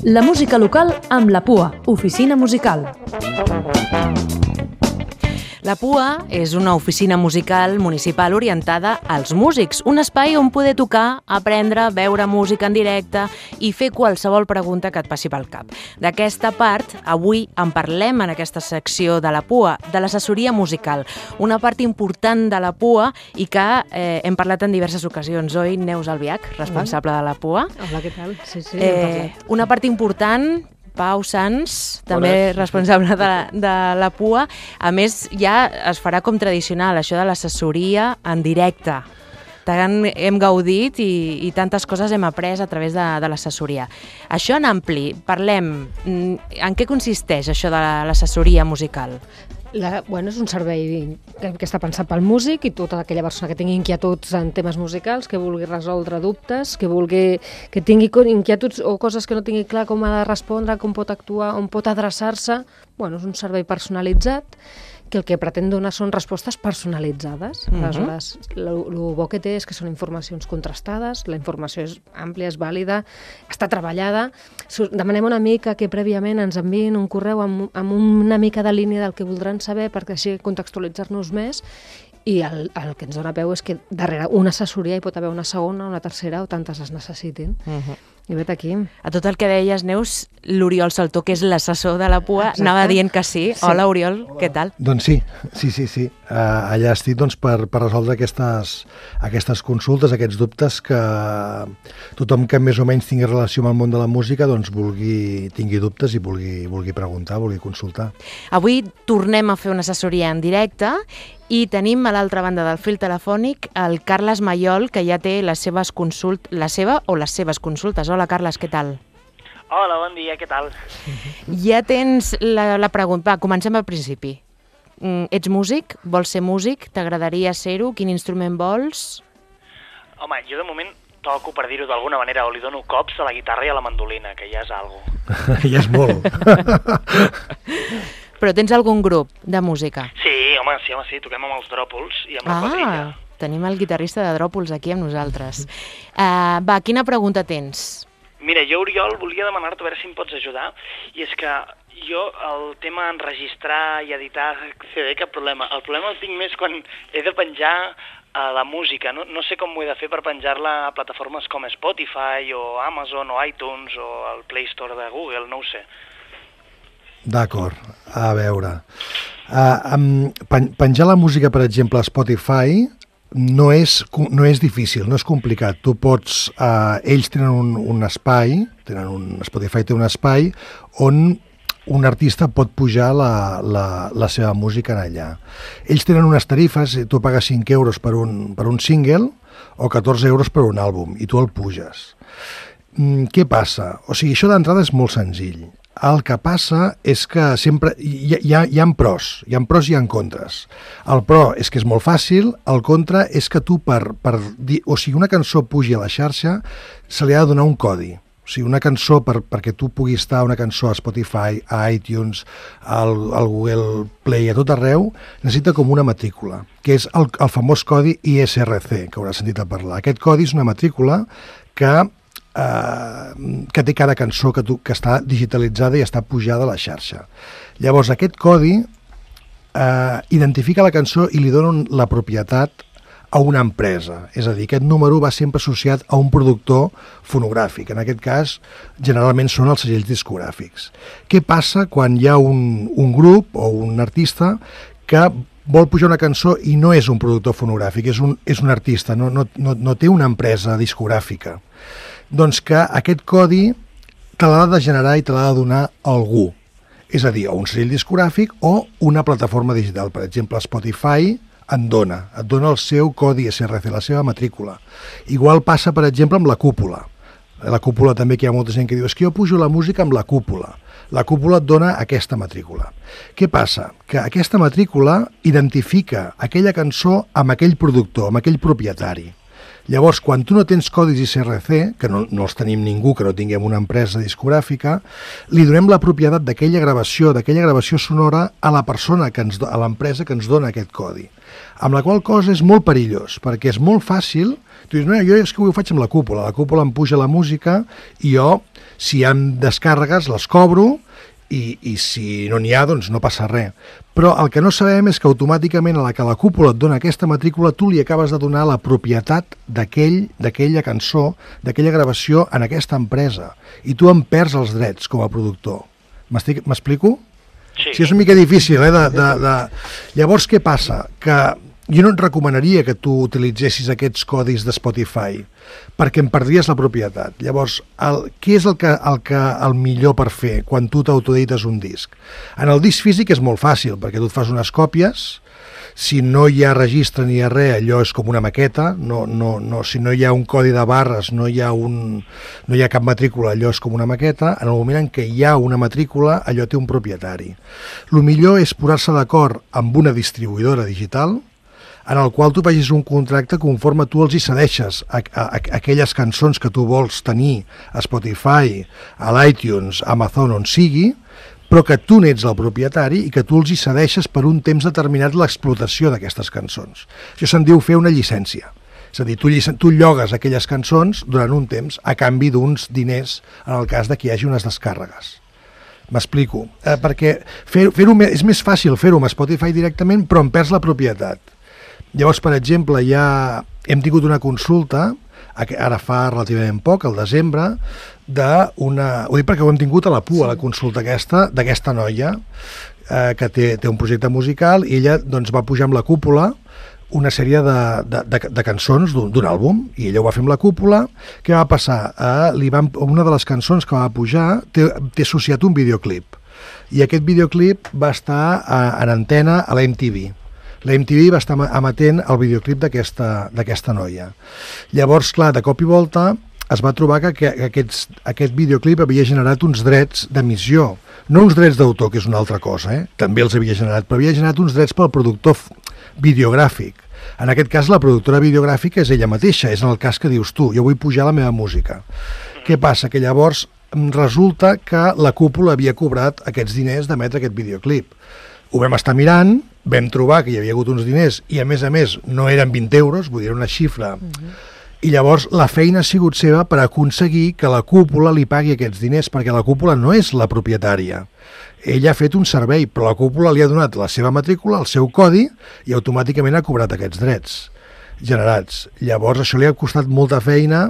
La música local amb la PUA, Oficina Musical. La PUA és una oficina musical municipal orientada als músics, un espai on poder tocar, aprendre, veure música en directe i fer qualsevol pregunta que et passi pel cap. D'aquesta part, avui en parlem en aquesta secció de la PUA, de l'assessoria musical, una part important de la PUA i que hem parlat en diverses ocasions. Oi, Neus Albiach, responsable de la PUA? Hola, què tal? Sí, hem parlat. Una part important... Pau Sans, també responsable de la PUA. A més, ja es farà com tradicional, això de l'assessoria en directe. Tant hem gaudit i tantes coses hem après a través de l'assessoria. Això en ampli, parlem. En què consisteix això de l'assessoria musical? És un servei que està pensat pel músic i tota aquella persona que tingui inquietuds en temes musicals, que vulgui resoldre dubtes, que tingui inquietuds o coses que no tingui clar com ha de respondre, com pot actuar, on pot adreçar-se. És un servei personalitzat que el que pretén donar són respostes personalitzades. Aleshores, el bo que té és que són informacions contrastades, la informació és àmplia, és vàlida, està treballada. Demanem una mica que prèviament ens enviïn un correu amb una mica de línia del que voldran saber perquè així contextualitzar-nos més, i el que ens dona peu és que darrere una assessoria hi pot haver una segona, una tercera o tantes es necessitin. I vet aquí. A tot el que deies, Neus, l'Oriol Saltó, que és l'assessor de la PUA, anava dient que sí. Hola, Oriol, què tal? Doncs sí. Allà estic per resoldre aquestes consultes, aquests dubtes que tothom que més o menys tingui relació amb el món de la música tingui dubtes i vulgui preguntar, vulgui consultar. Avui tornem a fer una assessoria en directe i tenim a l'altra banda del fil telefònic el Carles Mayol, que ja té les seves consultes. Hola, Carles, què tal? Hola, bon dia, què tal? Ja tens la pregunta. Va, comencem al principi. Ets músic? Vols ser músic? T'agradaria ser-ho? Quin instrument vols? Home, jo de moment toco, per dir-ho d'alguna manera, o li dono cops a la guitarra i a la mandolina, que ja és algo. Ja és molt. Però tens algun grup de música? Sí, toquem amb els Dròpols i amb la quadrilla. Tenim el guitarrista de Dròpols aquí amb nosaltres. Va, quina pregunta tens? Mira, jo, Oriol, volia demanar-te a veure si em pots ajudar, i és que jo el tema enregistrar i editar CD, cap problema. El problema el tinc més quan he de penjar la música. No sé com ho he de fer per penjar-la a plataformes com Spotify o Amazon o iTunes o el Play Store de Google, no ho sé. D'acord, a veure. Penjar la música, per exemple, a Spotify no és difícil, no és complicat. Tu pots... ells tenen un espai, Spotify té un espai on un artista pot pujar la seva música en allà. Ells tenen unes tarifes, tu pagues 5 euros per un single o 14 euros per un àlbum, i tu el puges. Què passa? O sigui, això d'entrada és molt senzill. El que passa és que sempre hi ha pros i hi ha contres. El pro és que és molt fàcil, el contra és que tu una cançó pugi a la xarxa se li ha de donar un codi. O sigui, una cançó, perquè tu puguis estar una cançó a Spotify, a iTunes, al Google Play, a tot arreu, necessita com una matrícula, que és el famós codi ISRC, que hauràs sentit a parlar. Aquest codi és una matrícula que té cada cançó que està digitalitzada i està pujada a la xarxa. Llavors, aquest codi identifica la cançó i li dona la propietat a una empresa. És a dir, aquest número va sempre associat a un productor fonogràfic. En aquest cas, generalment són els segells discogràfics. Què passa quan hi ha un grup o un artista que vol pujar una cançó i no és un productor fonogràfic, és un artista, no té una empresa discogràfica? Doncs que aquest codi te l'ha de generar i te l'ha de donar algú. És a dir, o un segell discogràfic o una plataforma digital. Per exemple, Spotify et dona el seu codi SRC, la seva matrícula. Igual passa, per exemple, amb la cúpula. La cúpula també, que hi ha molta gent que diu és que jo pujo la música amb la cúpula. La cúpula et dona aquesta matrícula. Què passa? Que aquesta matrícula identifica aquella cançó amb aquell productor, amb aquell propietari. Llavors, quan tu no tens codis ISRC, que no els tenim ningú, que no tinguem una empresa discogràfica, li donem la propietat d'aquella gravació sonora a la persona, a l'empresa que ens dona aquest codi. Amb la qual cosa és molt perillós, perquè és molt fàcil. Tu dius, no, jo és que ho faig amb la cúpula em puja la música i jo, si hi ha descàrregues, les cobro, i si no n'hi ha, doncs no passa res. Però el que no sabem és que automàticament a la que la cúpula et dona aquesta matrícula, tu li acabes de donar la propietat d'aquella cançó, d'aquella gravació en aquesta empresa, i tu en perds els drets com a productor. M'explico? Sí, és una mica difícil, Llavors, què passa? Que jo no et recomanaria que tu utilitzessis aquests codis de Spotify, perquè em perdries la propietat. Llavors, què és el millor per fer quan tu t'autoedites un disc? En el disc físic és molt fàcil, perquè tu et fas unes còpies, si no hi ha registre ni hi ha res, allò és com una maqueta, si no hi ha un codi de barres, no hi ha cap matrícula, allò és com una maqueta. En el moment en què hi ha una matrícula, allò té un propietari. El millor és posar-se d'acord amb una distribuïdora digital, en el qual tu vegis un contracte conforme tu els hi cedeixes aquelles cançons que tu vols tenir a Spotify, a l'iTunes, a Amazon, on sigui, però que tu n'ets el propietari i que tu els hi cedeixes per un temps determinat l'explotació d'aquestes cançons. Això se'n diu fer una llicència. És a dir, tu llogues aquelles cançons durant un temps a canvi d'uns diners en el cas de que hi hagi unes descàrregues. M'explico. Perquè és més fàcil fer-ho amb Spotify directament, però en perds la propietat. Llavors, per exemple, ja hem tingut una consulta, ara fa relativament poc, al desembre, ho dic perquè ho hem tingut a la PUA, la consulta d'aquesta noia, que té un projecte musical, i ella doncs, va pujar amb la cúpula una sèrie de cançons d'un àlbum, i ella ho va fer amb la cúpula. Què va passar? Una de les cançons que va pujar té associat un videoclip, i aquest videoclip va estar en antena a la MTV. La MTV va estar emetent el videoclip d'aquesta noia. Llavors, clar, de cop i volta es va trobar que aquest videoclip havia generat uns drets d'emissió. No uns drets d'autor, que és una altra cosa, també els havia generat, però havia generat uns drets pel productor videogràfic. En aquest cas, la productora videogràfica és ella mateixa, és en el cas que dius tu, jo vull pujar la meva música. Què passa? Que llavors resulta que la cúpula havia cobrat aquests diners d'emetre aquest videoclip. Ho vam estar mirant, vam trobar que hi havia hagut uns diners i a més no eren 20 euros, vull dir, una xifra. I llavors la feina ha sigut seva per aconseguir que la cúpula li pagui aquests diners, perquè la cúpula no és la propietària. Ella ha fet un servei, però la cúpula li ha donat la seva matrícula, el seu codi, i automàticament ha cobrat aquests drets generats. Llavors això li ha costat molta feina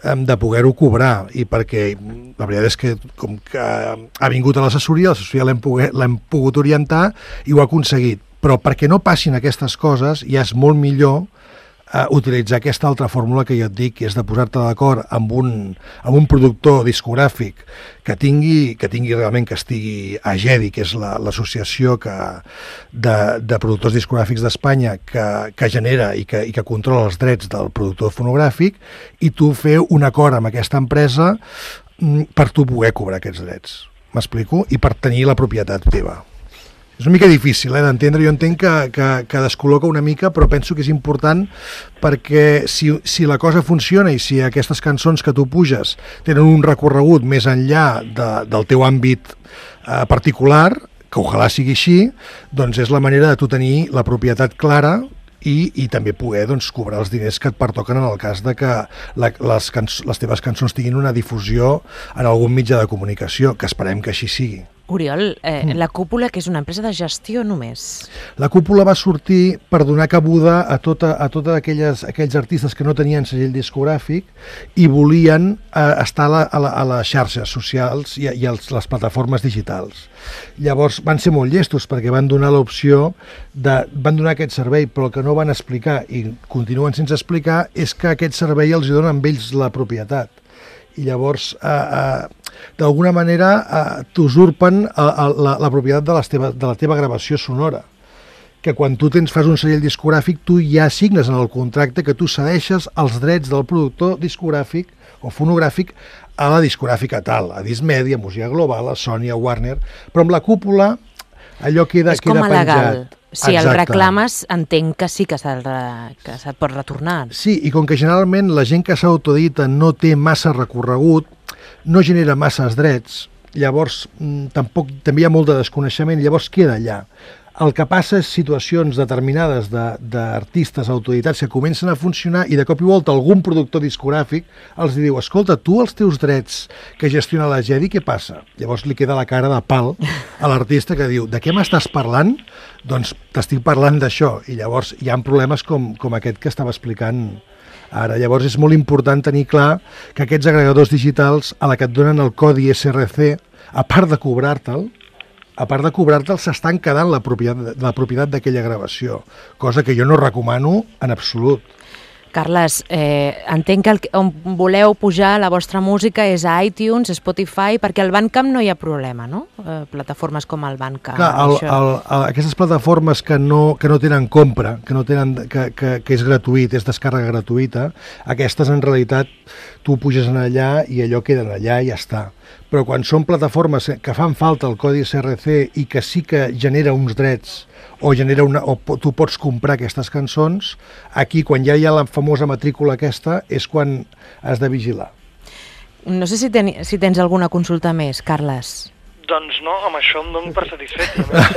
de poder-ho cobrar, i perquè la veritat és que com que ha vingut a l'assessoria l'hem pogut orientar i ho ha aconseguit. Però perquè no passin aquestes coses ja és molt millor utilitzar aquesta altra fórmula que jo et dic, que és de posar-te d'acord amb un productor discogràfic que tingui realment, que estigui a GEDI, que és l'associació de productors discogràfics d'Espanya que genera i que controla els drets del productor fonogràfic, i tu fer un acord amb aquesta empresa per tu poder cobrar aquests drets. M'explico? I per tenir la propietat teva. És una mica difícil d'entendre, jo entenc que descol·loca una mica, però penso que és important perquè si la cosa funciona i si aquestes cançons que tu puges tenen un recorregut més enllà del teu àmbit particular, que ojalà sigui així, doncs és la manera de tu tenir la propietat clara i també poder cobrar els diners que et pertoquen en el cas de que les teves cançons tinguin una difusió en algun mitjà de comunicació, que esperem que així sigui. Oriol, la cúpula, que és una empresa de gestió només? La cúpula va sortir per donar cabuda a tots aquells artistes que no tenien segell discogràfic i volien estar a les xarxes socials i a les plataformes digitals. Llavors van ser molt llestos perquè van donar l'opció, van donar aquest servei, però el que no van explicar i continuen sense explicar és que aquest servei els dona amb ells la propietat. I llavors, d'alguna manera, t'usurpen la propietat de la teva gravació sonora. Que quan tu fas un segell discogràfic, tu ja signes en el contracte que tu cedeixes els drets del productor discogràfic o fonogràfic a la discogràfica tal, a Discmedia, a Música Global, a Sony, a Warner, però amb la cúpula allò queda penjat. És com a legal. Si el reclames, entenc que sí que se't pot retornar. Sí, i com que generalment la gent que s'autodita no té massa recorregut, no genera masses drets, llavors també hi ha molt de desconeixement, llavors queda allà. El que passa és situacions determinades d'artistes autoeditats que comencen a funcionar i de cop i volta algun productor discogràfic els diu, escolta, tu els teus drets que gestiona la Jedi, què passa? Llavors li queda la cara de pal a l'artista que diu, de què m'estàs parlant? Doncs t'estic parlant d'això. I llavors hi ha problemes com aquest que estava explicant ara. Llavors és molt important tenir clar que aquests agregadors digitals, a la que et donen el codi SRC, a part de cobrar-te'l, s'estan quedant la propietat d'aquella gravació, cosa que jo no recomano en absolut. Carles, entenc que on voleu pujar la vostra música és a iTunes, Spotify, perquè al Bandcamp no hi ha problema, no? Plataformes com el Bandcamp. Clar, aquestes plataformes que no tenen compra, que és gratuït, és descàrrega gratuïta, aquestes en realitat tu puges en allà i allò queda allà i ja està. Però quan són plataformes que fan falta el codi SRC i que sí que genera uns drets o tu pots comprar aquestes cançons, aquí quan ja hi ha la famosa matrícula aquesta és quan has de vigilar. No sé si tens alguna consulta més, Carles. Doncs no, amb això em dono per satisfet. A més,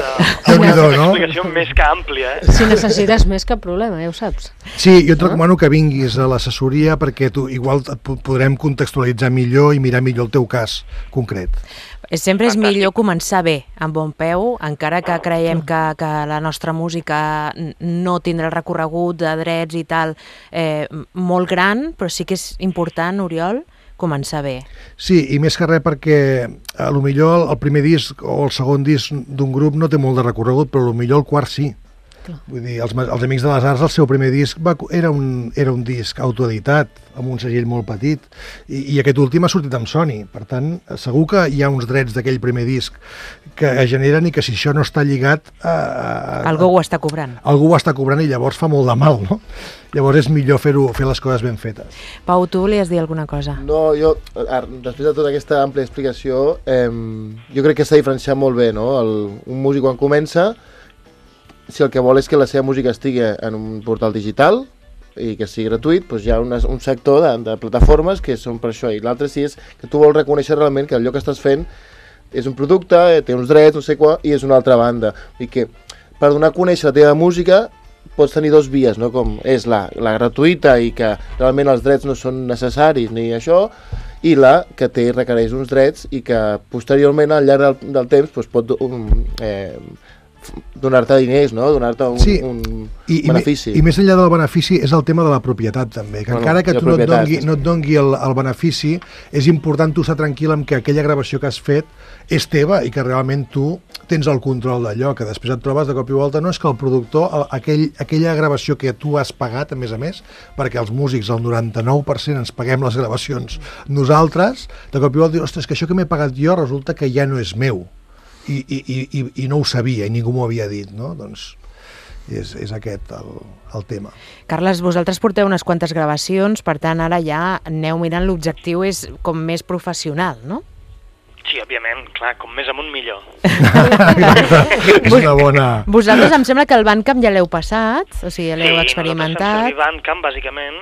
Déu-n'hi-do, una no? explicació més que àmplia. Si necessites més, cap problema, ja ho saps. Sí, jo et recomano que vinguis a l'assessoria perquè igual et podrem contextualitzar millor i mirar millor el teu cas concret. Sempre és millor començar bé, amb bon peu, encara que creiem que la nostra música no tindrà el recorregut de drets i tal molt gran, però sí que és important, Oriol, començar bé. Sí, i més que res perquè potser el primer disc o el segon disc d'un grup no té molt de recorregut, però potser el quart sí. Clar. Vull dir, els Amics de les Arts, el seu primer disc era un disc autoeditat, amb un segell molt petit, i aquest últim ha sortit amb Sony. Per tant, segur que hi ha uns drets d'aquell primer disc que es generen i que si això no està lligat... Algú ho està cobrant. Algú ho està cobrant i llavors fa molt de mal, no? Llavors és millor fer les coses ben fetes. Pau, tu volies dir alguna cosa? No, jo, després de tota aquesta àmplia explicació, jo crec que s'ha diferenciat molt bé, no? Un músic quan comença, si el que vol és que la seva música estigui en un portal digital i que sigui gratuït, doncs hi ha un sector de plataformes que són per això, i l'altre sí és que tu vols reconèixer realment que allò que estàs fent és un producte, té uns drets, no sé què, i és una altra banda. I que per donar a conèixer la teva música pots tenir dos vies, no? Com és la gratuïta i que realment els drets no són necessaris ni això, i la que requereix uns drets i que posteriorment al llarg del temps doncs, pot donar-te diners, no? Donar-te un benefici. I més enllà del benefici és el tema de la propietat també, que encara que tu no et dongui el benefici, és important tu estar tranquil amb que aquella gravació que has fet és teva i que realment tu tens el control d'allò, que després et trobes de cop i volta, no és que el productor, aquella gravació que tu has pagat, a més, perquè els músics, el 99% ens paguem les gravacions nosaltres, de cop i volta dius, ostres, que això que m'he pagat jo resulta que ja no és meu. I no ho sabia i ningú m'ho havia dit, no? Doncs és aquest el tema. Carles, vosaltres porteu unes quantes gravacions, per tant ara ja aneu mirant, l'objectiu és com més professional, no? Sí, òbviament, clar, com més amunt millor. És una bona... Vosaltres em sembla que el Bandcamp ja l'heu passat, o sigui, ja l'heu experimentat. Sí, nosaltres fem servir Bandcamp, bàsicament,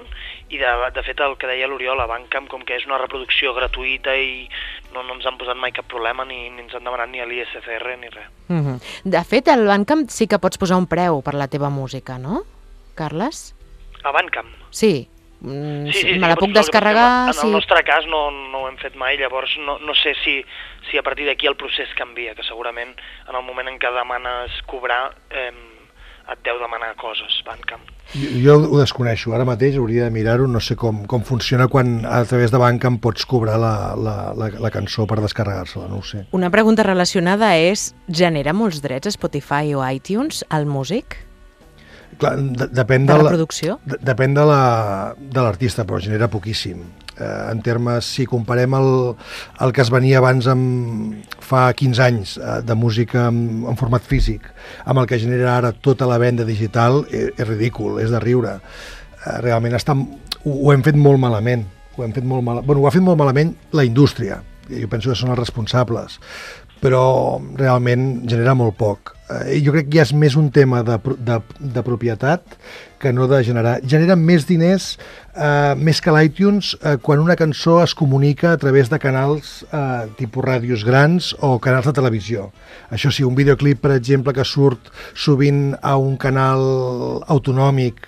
i de fet el que deia l'Oriol, a Bandcamp, com que és una reproducció gratuïta i no ens han posat mai cap problema, ni ens han demanat ni l'ISCR ni res. De fet, al Bandcamp sí que pots posar un preu per la teva música, no, Carles? A Bandcamp? Sí. Sí, me la puc descarregar... En el nostre cas no ho hem fet mai, llavors no sé si a partir d'aquí el procés canvia, que segurament en el moment en què demanes cobrar et deu demanar coses, Bandcamp. Jo ho desconeixo, ara mateix hauria de mirar-ho, no sé com funciona quan a través de Bandcamp pots cobrar la cançó per descarregar-se-la, no ho sé. Una pregunta relacionada és, genera molts drets a Spotify o iTunes al músic? Clar, depèn de la producció? Depèn de l'artista, però genera poquíssim. En termes, si comparem el que es venia abans fa 15 anys de música en format físic amb el que genera ara tota la venda digital, és ridícul, és de riure. Realment ho hem fet molt malament. Ho ha fet molt malament la indústria. Jo penso que són els responsables, però realment genera molt poc. jo crec que ja és més un tema de propietat que no de generar. Generen més diners, més que l'iTunes, quan una cançó es comunica a través de canals tipus ràdios grans o canals de televisió. Això sí, un videoclip, per exemple, que surt sovint a un canal autonòmic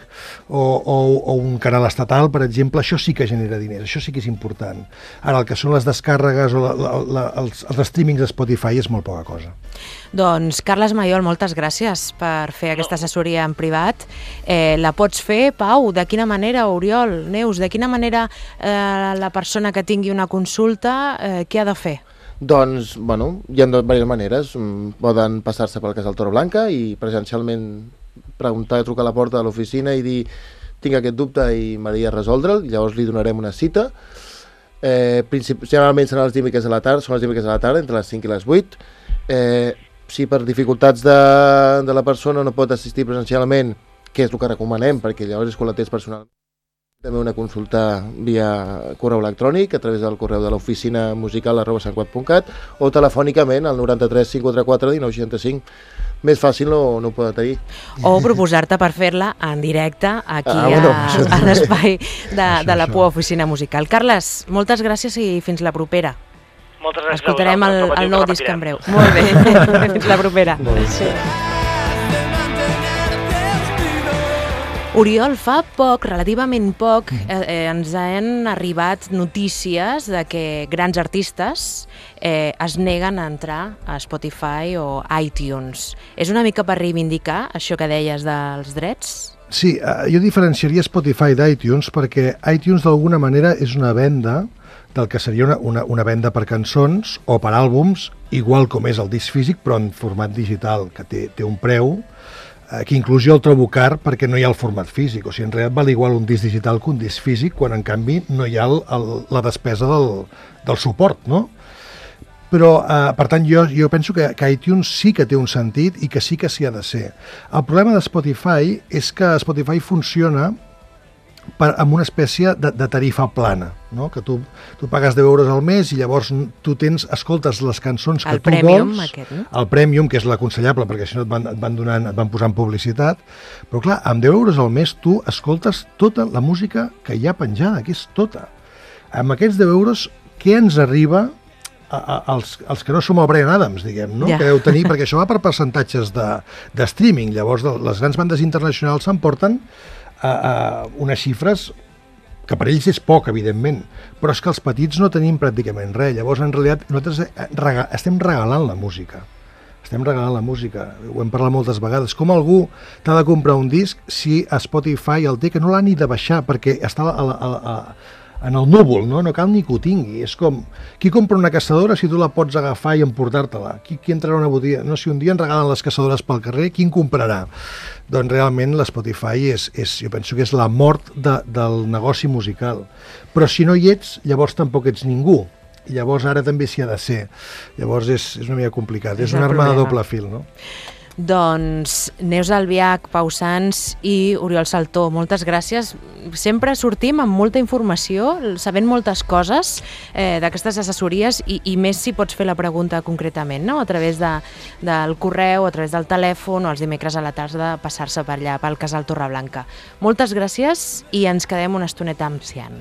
o un canal estatal, per exemple, això sí que genera diners, això sí que és important. Ara, el que són les descàrregues o els streamings de Spotify és molt poca cosa. Doncs, Carles Mayol, moltes gràcies per fer aquesta assessoria en privat. La pots fer, Pau? De quina manera, Oriol, Neus, de quina manera la persona que tingui una consulta, què ha de fer? Doncs, bueno, hi ha diverses maneres. Poden passar-se pel Casal Torreblanca i presencialment preguntar, trucar a la porta de l'oficina i dir tinc aquest dubte i m'agradaria resoldre'l, llavors li donarem una cita. Generalment seran les dimecres a la tarda, entre les 5 i les 8. Si per dificultats de la persona no pot assistir presencialment, que és el que recomanem, perquè llavors és quan la tens personal, també una consulta via correu electrònic a través del correu de l'oficina musical@santcugat.cat o telefònicament al 93 544 1965. Més fàcil no ho poden tenir. O proposar-te per fer-la en directe aquí a l'espai de la PUA Oficina Musical. Carles, moltes gràcies i fins la propera. Moltes gràcies. Escoltarem el nou disc en breu. Molt bé, fins la propera. Sí. Oriol, fa poc, relativament poc, ens han arribat notícies de que grans artistes es neguen a entrar a Spotify o iTunes. És una mica per reivindicar això que deies dels drets? Sí, jo diferenciaria Spotify d'iTunes perquè iTunes d'alguna manera és una venda del que seria una venda per cançons o per àlbums, igual com és el disc físic, però en format digital, que té un preu, que inclús jo el trobo car perquè no hi ha el format físic. O sigui, en realitat val igual un disc digital que un disc físic, quan en canvi no hi ha la despesa del suport, no? Però, per tant, jo penso que iTunes sí que té un sentit i que sí que s'hi ha de ser. El problema de Spotify és que Spotify funciona amb una espècie de tarifa plana, no? Que tu pagues 10 euros al mes i llavors tu escoltes les cançons que tu premium, vols, aquest, no? el Premium, que és l'aconsellable perquè si no et van posant publicitat, però clar, amb 10 euros al mes tu escoltes tota la música que hi ha penjada, que és tota. Amb aquests 10 euros, què ens arriba els que no som el Bryan Adams, diguem, no? Que deu tenir, perquè això va per percentatges de streaming, llavors les grans bandes internacionals s'emporten unes xifres que per ells és poc, evidentment, però és que els petits no tenim pràcticament res. Llavors, en realitat, nosaltres estem regalant la música. Ho hem parlat moltes vegades. Com algú t'ha de comprar un disc si a Spotify el té, que no l'ha ni de baixar perquè està en el núvol, no cal ni que ho tingui. És com, qui compra una caçadora si tu la pots agafar i emportar-te-la? Qui entrarà a una botiga? No, si un dia en regalen les caçadores pel carrer, qui en comprarà? Doncs realment l'Spotify jo penso que és la mort del negoci musical. Però si no hi ets, llavors tampoc ets ningú. I llavors ara també s'hi ha de ser. Llavors és una mica complicat. És una arma de doble fil, no? Doncs Neus Albiach, Pau Sans i Oriol Saltó, moltes gràcies. Sempre sortim amb molta informació, sabent moltes coses d'aquestes assessories i més si pots fer la pregunta concretament, no? A través del correu, a través del telèfon o els dimecres a la tarda passar-se per allà, pel Casal Torreblanca. Moltes gràcies i ens quedem una estoneta amb Cian.